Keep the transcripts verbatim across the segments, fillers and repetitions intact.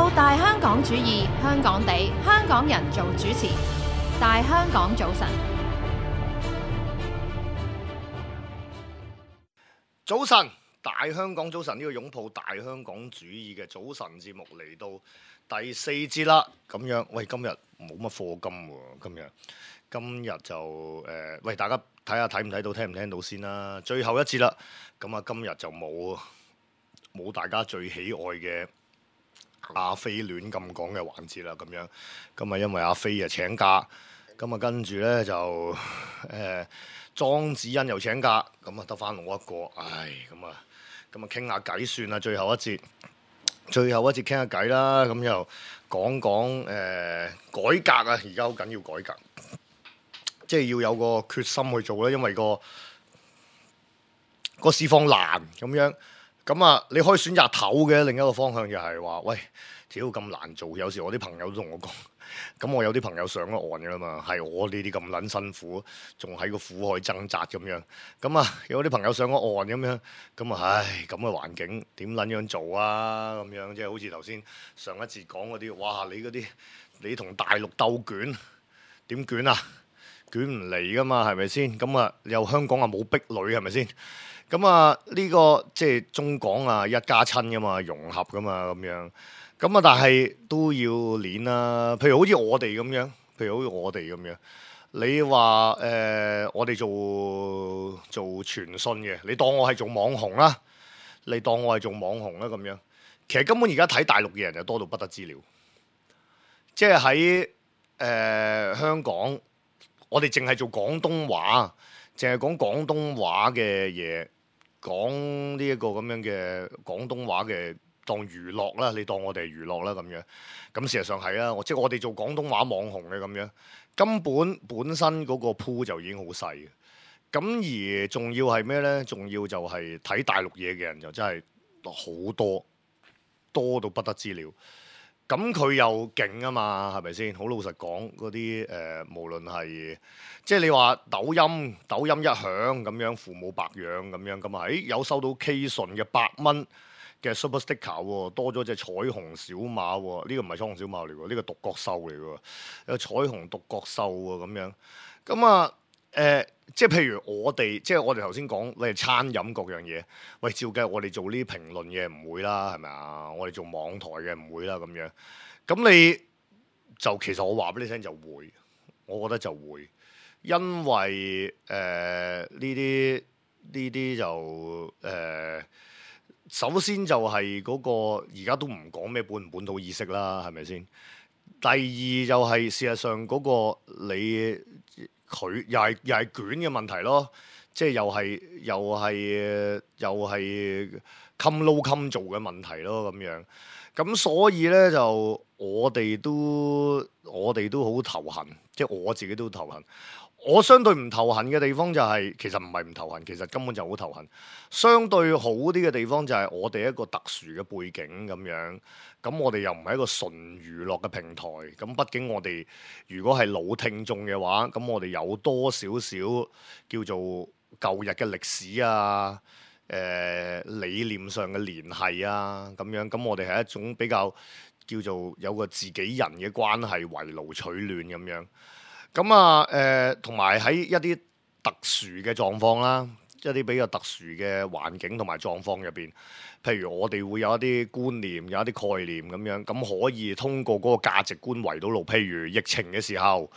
到大香港主義，香港地，香港人做主持。大香港早晨，早晨，大香港早晨，呢個擁抱大香港主義嘅早晨節目嚟到第四節啦。咁樣，喂，今日冇乜課金喎，今日今日就誒、呃，喂，大家睇下睇唔睇到，聽唔聽到先啦。最後一節啦，咁啊，今日就冇冇大家最喜愛嘅阿飛亂咁講嘅環節啦。咁樣，咁啊，因為阿飛啊請假，咁啊跟住咧就誒。呃莊子欣又請假，咁啊得翻我一個，唉，咁啊，咁啊傾下偈算啦，最後一節，最後一節傾下偈啦，咁又講講誒、呃、改革啊，而家好緊要改革，即係要有個決心去做咧，因為個個市況難咁樣，咁啊你可以選擇唞嘅，另一個方向就係話，喂，屌咁難做，有時我啲朋友都同我講。咁我有啲朋友上咗岸嘅啦嘛，係我呢啲咁撚辛苦，仲喺個苦海掙扎咁樣。咁啊，有啲朋友上咗岸咁樣，咁啊，唉，咁嘅環境點撚樣做啊？咁樣即係好似頭先上一節講嗰啲，哇！你嗰啲你同大陸鬥捲，點捲啊？捲唔嚟噶嘛，係咪先？咁啊，又香港啊冇壁壘係咪先？咁啊，呢個即係中港啊一家親噶嘛，融合噶嘛咁樣。咁啊，但係都要練啦。譬如好似我哋咁樣，譬如好似我哋咁樣，你話誒、呃，我哋做做傳訊嘅，你當我係做網紅啦，你當我係做網紅啦咁樣。其實根本而家睇大陸嘅人就多到不得之了。即係喺誒香港，我哋淨係做廣東話，淨係講廣東話嘅嘢，講呢一個咁樣嘅廣東話嘅。當娛樂啦，你當我哋係娛樂啦咁樣，咁事實上係啦，即係我哋做廣東話網紅嘅咁樣，根本本身嗰個鋪就已經好細嘅，咁而仲要係咩呢？仲要就係睇大陸嘢嘅人就真係好多，多到不得之了。咁佢又勁啊嘛，係咪先？好老實講，嗰啲誒，無論係即係你話抖音，抖音一響咁樣，父母白養咁樣，咁啊，誒有收到 K 順嘅百蚊嘅 Super Sticker 喎，多咗隻彩虹小馬喎，呢個唔係彩虹小馬嚟喎，呢個獨角獸嚟喎，有彩虹獨角獸喎咁樣，咁啊誒，即係譬如我哋，即係我哋頭先講，你係餐飲各樣嘢，喂，照計我哋做呢啲評論嘅唔會啦，係咪啊？我哋做網台嘅唔會啦，咁樣，咁你就其實我話俾你聽就會，我覺得就會，因為誒呢啲呢啲就誒。呃首先就係嗰個而家都唔講咩本唔本土意識啦，係咪先？第二就係事實上嗰個你佢又係又係卷嘅問題咯，即係又係又係又係襟撈襟做嘅問題咯咁樣。咁所以咧就我哋都我哋都好頭痕，即係我自己都頭痕。我相對唔頭痕嘅地方就係、是、其實唔係唔頭痕，其實根本就好頭痕。相對好啲嘅地方就係我哋一個特殊嘅背景咁樣，咁我哋又唔係一個純娛樂嘅平台。咁畢竟我哋如果係老聽眾嘅話，咁我哋有多少少叫做舊日嘅歷史啊、誒、呃、理念上嘅聯繫啊咁樣。咁我哋係一種比較叫做有個自己人嘅關係，圍爐取暖咁樣。咁啊，誒同埋喺一啲特殊嘅狀況啦，一啲比較特殊嘅環境同埋狀況入邊，譬如我哋會有一啲觀念，有一啲概念咁樣，咁可以通過嗰個價值觀圍到路。譬如疫情嘅時候、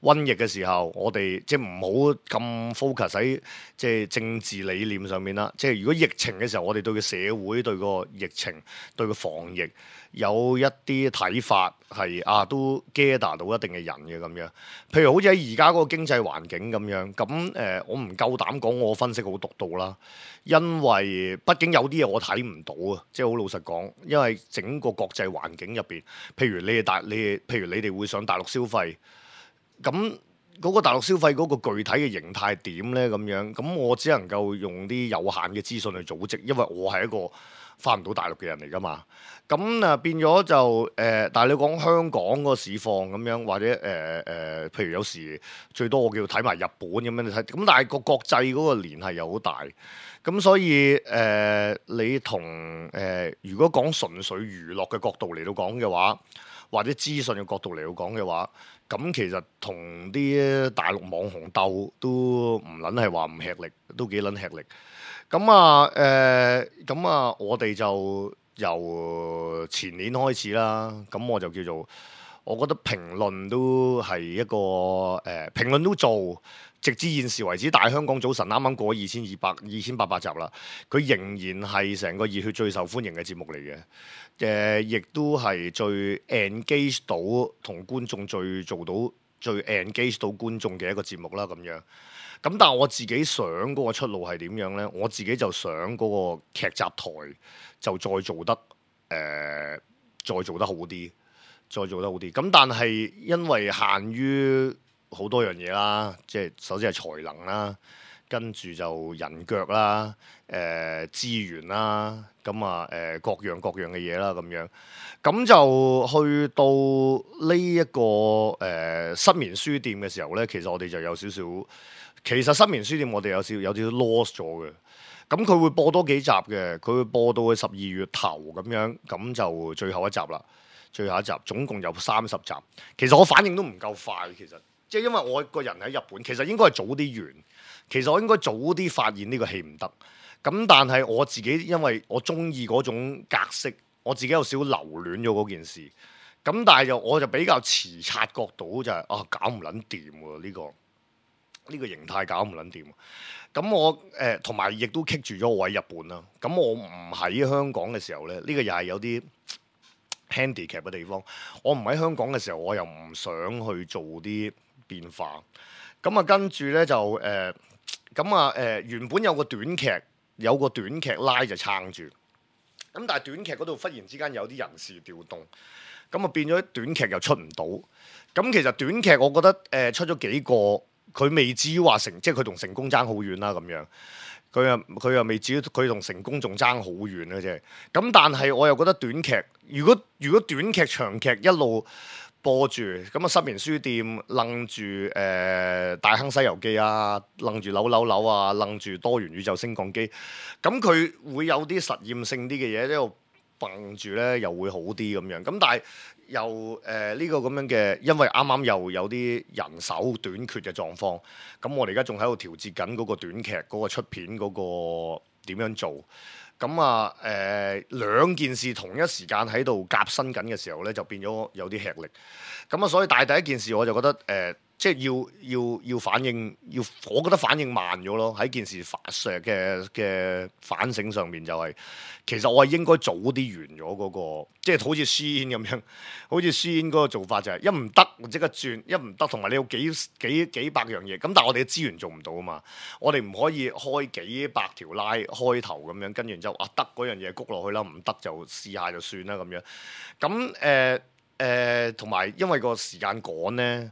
瘟疫嘅時候，我哋即係唔好咁 focus 喺即係政治理念上面啦。即係如果疫情嘅時候，我哋對個社會、對個疫情、對個防疫有一啲睇法係啊，都 gather 到一定嘅人嘅咁樣。譬如好似喺而家嗰個經濟環境咁樣，咁誒、呃、我唔夠膽講我分析好獨到啦，因為畢竟有啲嘢我睇唔到啊，即係好老實講，因為整個國際環境入邊，譬如你哋大你譬如你哋會上大陸消費，咁嗰個大陸消費嗰個具體嘅形態點呢？咁樣，咁我只能夠用啲有限嘅資訊去組織，因為我係一個翻唔到大陸嘅人嚟噶嘛。咁啊變咗就誒、呃，但係你講香港個市況咁樣，或者誒誒、呃呃，譬如有時最多我叫睇埋日本咁樣你睇，咁但係個國際嗰個聯繫又好大，咁所以誒、呃、你同誒、呃、如果講純粹娛樂嘅角度嚟到講嘅話，或者資訊嘅角度嚟到講嘅話，咁其實同啲大陸網紅鬥都唔撚係話唔吃力，都幾撚吃力。咁啊誒，咁、呃、啊我哋就由前年開始啦，咁我就叫做，我覺得評論都係一個誒、呃，評論都做，直至現時為止，大香港早晨啱啱過二千二百二千八百集啦，佢仍然係成個熱血最受歡迎嘅節目嚟嘅，誒、呃，亦都係最 engage 到同觀眾最做到最 engage 到觀眾嘅一個節目啦，咁樣。咁但係我自己想嗰個出路係點樣呢？我自己就想嗰個劇集台就再做得誒、呃，再做得好啲，再做得好啲。咁但係因為限於好多樣嘢啦，即係首先係才能啦，跟住就人腳啦，誒、呃、資源啦，咁啊誒各樣各樣嘅嘢啦，咁樣。咁就去到呢、這、一個誒、呃、失眠書店嘅時候呢，其實我哋就有少少。其實失眠書店我哋有少有少 lost 咗嘅，咁佢會播多幾集嘅，佢會播到去十二月頭咁樣，咁就最後一集啦，最後一集總共有三十集。其實我反應都唔夠快，其實即係因為我個人喺日本，其實應該係早啲完，其實我應該早啲發現呢個戲唔得，咁但係我自己因為我中意嗰種格式，我自己有少少留戀咗嗰件事，咁但係就我就比較遲察覺到就係、是、啊搞唔撚掂喎呢個。呢個形態搞唔撚掂，咁我誒同埋亦都棘住咗我喺日本啦。咁我唔喺香港嘅時候咧，呢、呢個又係有啲 handicap 嘅地方。我唔喺香港嘅時候，我又唔想去做啲變化。咁啊，跟住咧就誒，咁啊誒，原本有個短劇，有個短劇拉就撐住。咁但係短劇嗰度忽然之間有啲人事調動，咁啊變咗短劇又出唔到。咁其實短劇我覺得誒、呃、出咗幾個。佢未至於話成，即係佢同成功爭好遠啦咁樣。佢又佢又未至於佢同成功仲爭好遠咧啫。咁但係我又覺得短劇，如果如果短劇長劇一路播住，咁啊失眠書店楞住誒大亨西遊記啊，楞住扭扭扭啊，楞住多元宇宙升降機，咁佢會有啲實驗性啲嘅嘢喺度蹦住咧，又會好啲咁樣。咁但係。又誒呢、呃這個咁樣嘅，因為啱啱又有啲人手短缺嘅狀況，咁我哋而家仲喺度調節緊嗰個短劇嗰、那個出片嗰個點樣做，咁啊誒兩件事同一時間喺度夾新緊嘅時候咧，就變咗有啲吃力，咁啊所以但係第一件事我就覺得誒。呃即係要要要反應，要我覺得反應慢咗咯。喺件事反嘅嘅反省上面就係、是，其實我係應該早啲完咗嗰、那個，即係好似書煙咁樣，好似書煙嗰個做法就係、是、一唔得即刻轉，一唔得同埋你有幾幾幾百樣嘢，咁但係我哋嘅資源做唔到啊嘛，我哋唔可以開幾百條拉開頭咁樣，跟住之後啊得嗰樣嘢谷落去啦，唔得就試下就算啦咁樣。咁誒誒同埋因為個時間趕咧。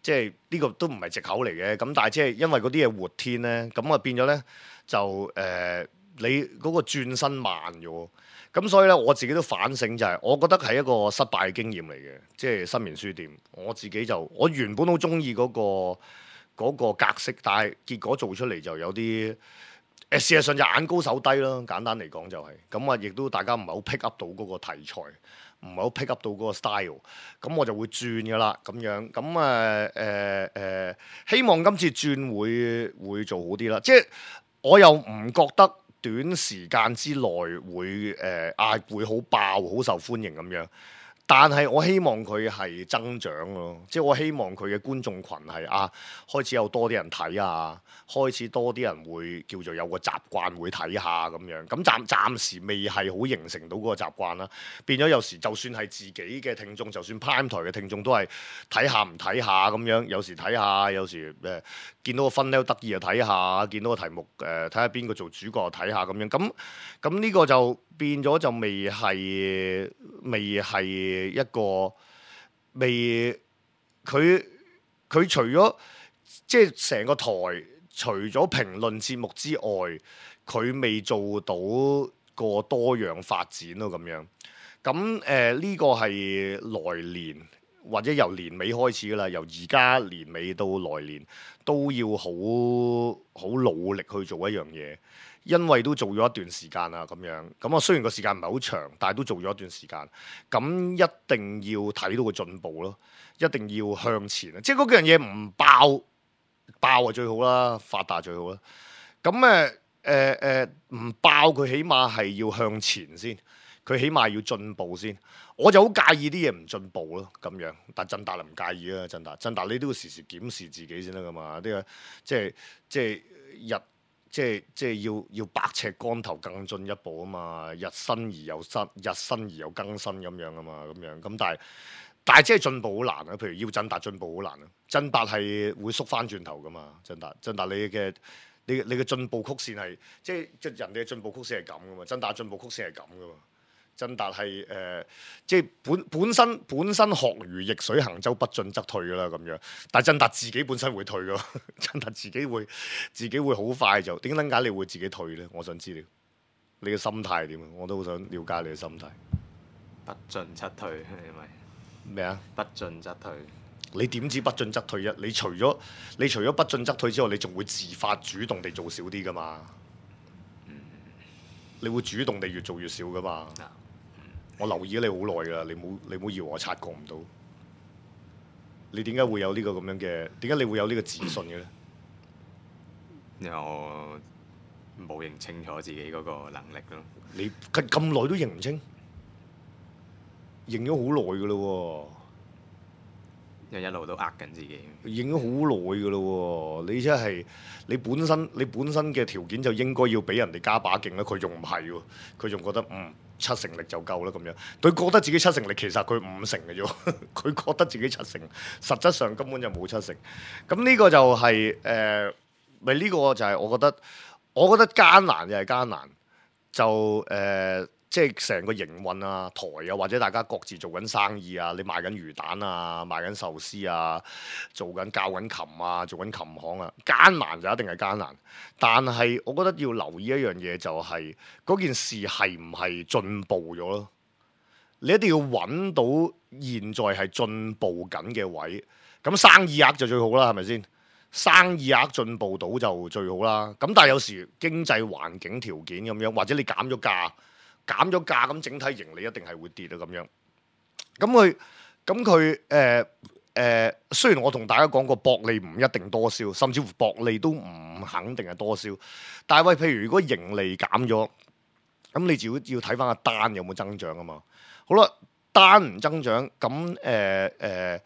即係呢個都唔係藉口嚟嘅，咁但係即係因為嗰啲嘢活天咧，咁啊變咗咧就誒、呃、你嗰個轉身慢咗，咁所以咧我自己都反省就係、是，我覺得係一個失敗嘅經驗嚟嘅，即係失眠書店，我自己就我原本好中意嗰個嗰個格式，但係結果做出嚟就有啲誒、呃、事實上就眼高手低咯，簡單嚟講就係、是，咁啊亦都大家唔係好 pick up 到嗰個題材。唔係好 pick up 到嗰個 style，咁我就會轉㗎啦，咁樣，咁誒誒誒，希望今次轉會會做好啲啦。即係我又唔覺得短時間之內會誒啊會好爆、好受歡迎咁樣。但係我希望佢係增長咯，即係我希望佢嘅觀眾群係啊開始有多啲人睇啊，開始多啲人會叫做有個習慣會睇下咁樣。咁暫暫時未係好形成到嗰個習慣啦，變咗有時就算係自己嘅聽眾，就算 Prime 台嘅聽眾都係睇下唔睇下咁樣。有時睇下，有時誒、呃、見到個分咧得意就睇下，見到個題目誒睇下邊個做主角就睇下咁樣。咁咁呢個就變咗就未係未係。一個未佢佢除咗即係成個台除咗評論節目之外，佢未做到個多樣發展咯咁樣。咁誒呢個係來年或者由年尾開始噶啦，由而家年尾到來年都要好好努力去做一樣嘢，因為都做咗一段時間啦咁樣。咁啊雖然個時間唔係好長，但係都做咗一段時間。咁一定要睇到個進步咯，一定要向前啊！即係嗰樣嘢唔爆爆啊最好啦，發達最好啦。咁誒誒誒唔爆佢起碼係要向前先。佢起碼要進步先，我就好介意啲嘢唔進步咯，咁樣。但係振達就唔介意啦，振達振達你都要時時檢視自己先得噶嘛。啲啊，即係即係日即係即係要要百尺竿頭更進一步啊嘛。日新而又新，日新而又更新咁樣啊嘛，咁樣咁但係但係即係進步好難啊。譬如要振達進步好難啊，振達係會縮翻轉頭噶嘛。振達振達你嘅你你嘅進步曲線係即係即係人哋嘅進步曲線係咁噶嘛，振達進步曲線係咁噶嘛。振達係誒，即係本本身本身學如逆水行舟，不進則退噶啦咁樣。但係振達自己本身會退噶，振達自己會自己會好快就點解你會自己退咧？我想知道你嘅心態係點啊？我都好想了解你嘅心態。不進則退係咪？咩啊？不進則退。你點知不進則退啫？你除咗你除咗不進則退之外，你仲會自發主動地做少啲噶嘛？嗯、你會主動地越做越少噶嘛？嗯我留意咗你好耐㗎啦，你冇你冇以為我察覺唔到？你點解會有呢個咁樣嘅？點解你會有呢個自信嘅咧？因為我冇認清楚自己嗰個能力咯。你咁咁耐都認唔清？認咗好耐㗎啦喎！因為一路都呃緊自己。認咗好耐㗎啦喎！你真係你本身你本身嘅條件就應該要俾人哋加把勁啦，佢仲唔係喎？佢仲覺得嗯。七成力就夠啦咁樣，佢覺得自己七成力，其實佢五成嘅啫。佢覺得自己七成，實質上根本就冇七成。咁呢個就係、是、誒，咪、呃、呢、這個就係我覺得，我覺得艱難就係艱難，就誒。呃即係成個營運啊、台啊，或者大家各自做緊生意啊，你賣緊魚蛋啊、賣緊壽司啊、做緊教緊琴啊、做緊琴行啊，艱難就一定係艱難。但係我覺得要留意一樣嘢，就係嗰件事係唔係進步咗咯？你一定要揾到現在係進步緊嘅位，咁生意額就最好啦，係咪先？生意額進步到就最好啦。咁但係有時經濟環境條件咁樣，或者你減咗價。減咗價咁，整體盈利一定係會跌啊！咁樣，咁佢咁佢誒誒，雖然我同大家講過薄利唔一定多銷，甚至乎薄利都唔肯定係多銷。但係喂，譬如如果盈利減咗，咁你就要要睇翻個單有冇增長啊嘛。好啦，單唔增長，咁誒誒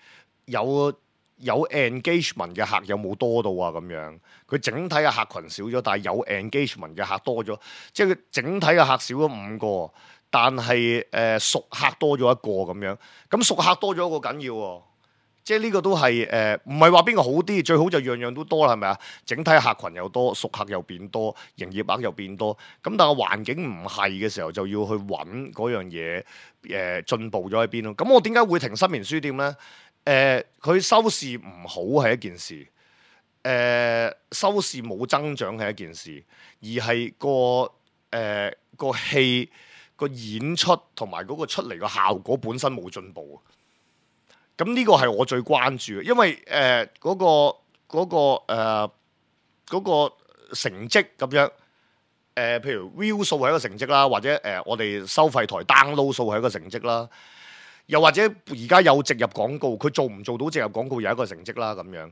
有有 engagement 嘅客有冇多到啊？咁樣佢整體嘅客群少咗，但係有 engagement 嘅客多咗，即係佢整體嘅客少咗五個，但係誒、呃、熟客多咗一個咁樣。咁熟客多咗一個緊要喎，即係呢個都係誒唔係話邊個好啲，最好就樣樣都多啦，係咪啊？整體客群又多，熟客又變多，營業額又變多。咁但係環境唔係嘅時候，就要去揾嗰樣嘢誒進步咗喺邊咯。咁我點解會停新棉書店咧？誒佢、呃、收視唔好係一件事，誒、呃、收視冇增長係一件事，而係個誒、呃、個戲個演出同埋嗰個出嚟個效果本身冇進步。咁呢個係我最關注嘅，因為誒嗰、呃嗰個嗰、嗰個誒、呃嗰個成績咁樣，誒、呃、譬如 view 數係一個成績啦，或者誒、呃、我哋收費台 download 數係一個成績啦。又或者而家有植入廣告，佢做唔做到植入廣告有一個成績啦咁樣。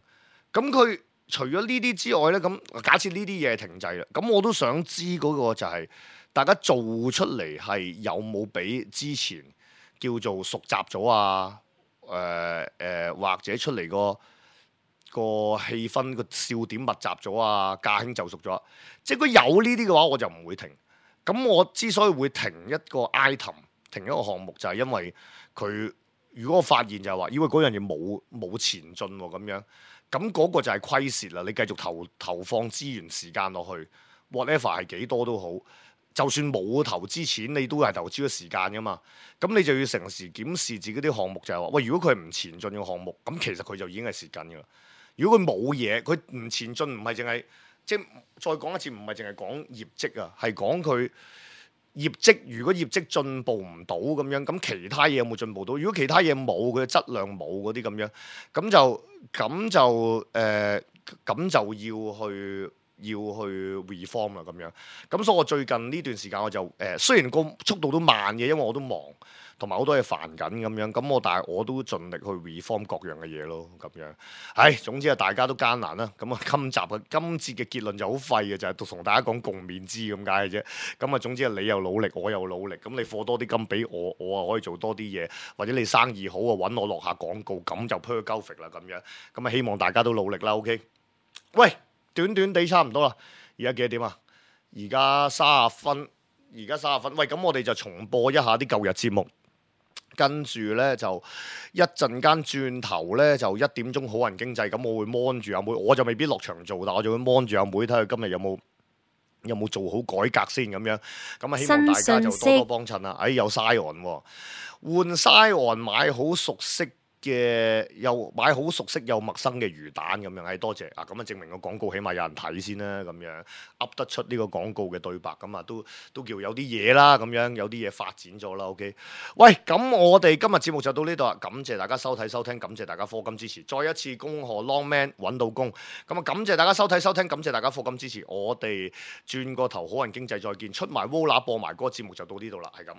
咁佢除咗呢啲之外咧，咁假設呢啲嘢停滯啦，咁我都想知嗰個就係、是、大家做出嚟係有冇比之前叫做熟習咗啊？誒、呃、誒、呃，或者出嚟個個氣氛個笑點密集咗啊？駕輕就熟咗，即係如果有呢啲嘅話，我就唔會停。咁我之所以會停一個 item，停一個項目，就係、是、因為佢如果我發現就係話，因為嗰樣嘢冇冇前進喎咁樣，咁嗰個就係虧蝕啦。你繼續投投放資源時間落去 ，whatever 係幾多都好，就算冇投資錢，你都係投資咗時間噶嘛。咁你就要成時檢視自己啲項目，就係話，喂，如果佢係唔前進嘅項目，咁其實佢就已經係蝕緊噶啦。如果佢冇嘢，佢唔前進，唔係淨係即係再講一次，唔係淨係講業績啊，係講佢業績如果業績進步唔到咁樣，咁其他嘢有冇進步到？如果其他嘢冇，佢嘅質量冇嗰啲咁樣，咁就咁就誒，咁、呃、就要去要去 reform 啦咁樣。咁所以我最近呢段時間我就誒、呃，雖然個速度都慢嘅，因為我都忙。同埋好多嘢煩緊咁樣，咁我但係我都盡力去 reform 各樣嘅嘢咯，咁樣。唉，總之啊，大家都艱難啦。咁啊，今集嘅今節嘅結論就好廢嘅，就係同大家講共勉之咁解嘅啫。咁啊，總之係你又努力，我又努力。咁你課多啲金俾我，我啊可以做多啲嘢，或者你生意好啊，揾我落下廣告，咁就 perfect 啦咁樣。咁啊，希望大家都努力啦。OK。喂，短短地差唔多啦。而家幾多點啊？而家三十分，而家三十分。喂，咁我哋就重播一下啲舊日節目。跟住咧就一陣間轉頭咧就一點鐘好人經濟，咁我會 mon 住阿妹，我就未必落場做，但我就會 mon 住阿妹睇下今日有冇有冇做好改革先咁樣。咁啊，希望大家就多多幫襯啦。哎，有 Scion 喎，換 Scion買好熟悉嘅又買好熟悉又陌生嘅魚蛋咁樣，係多謝啊！咁啊證明個廣告起碼有人睇先啦，咁樣噏得出呢個廣告嘅對白，咁啊都都叫有啲嘢啦，咁樣有啲嘢發展咗啦。OK， 喂，咁我哋今日節目就到呢度啦，感謝大家收睇收聽，感謝大家課金支持，再一次恭賀 Longman 揾到工，咁啊感謝大家收睇收聽，感謝大家課金支持，我哋轉個頭好人經濟再見，出埋 Wola 播埋嗰個節目就到呢度啦，係咁。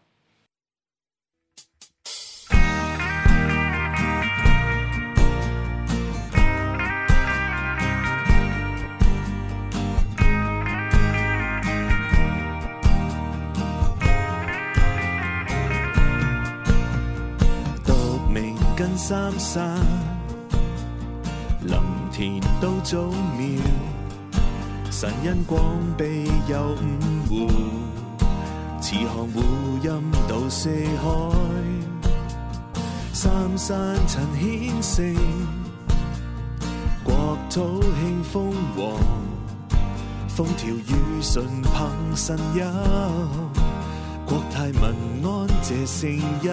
跟三山林田都祖廟，神恩廣庇有五湖，慈航湖蔭到四海，三山陳顯聖，國土興豐旺，風調雨順憑神佑，國泰民安謝聖恩。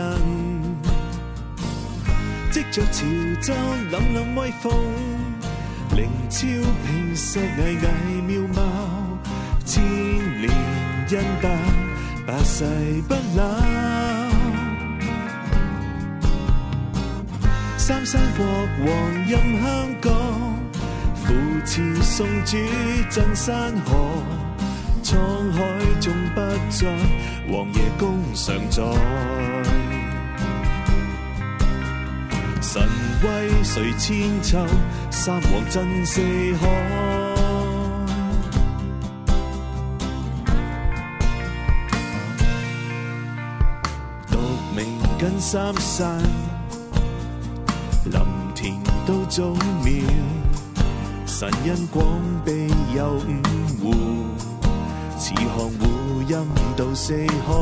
藉着潮州凜凜威風，靈超平石巍巍妙貌，千年恩德百世不朽。三山國王任香港，扶持送主鎮山河，滄海中不再，王爺公常在。神威垂千秋，三皇震四海。獨明跟三山，林田都祖廟，神恩廣庇有五湖，慈航湖蔭到四海，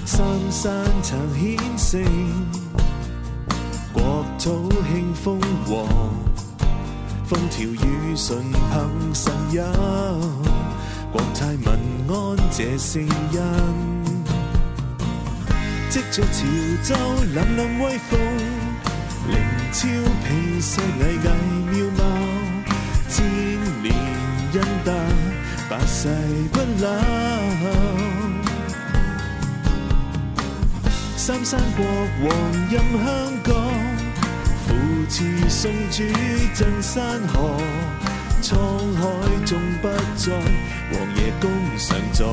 三山曾顯聖。國土興豐旺，風調雨順憑神佑，國泰民安謝聖恩。藉着潮州凜凜威風，靈超平石巍巍妙貌，千年恩德百世不朽。三山國王任香港，扶持送主鎮山河，滄海中不再，王爺公常在。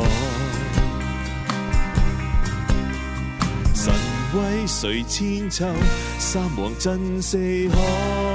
神威垂千秋，三皇震四海。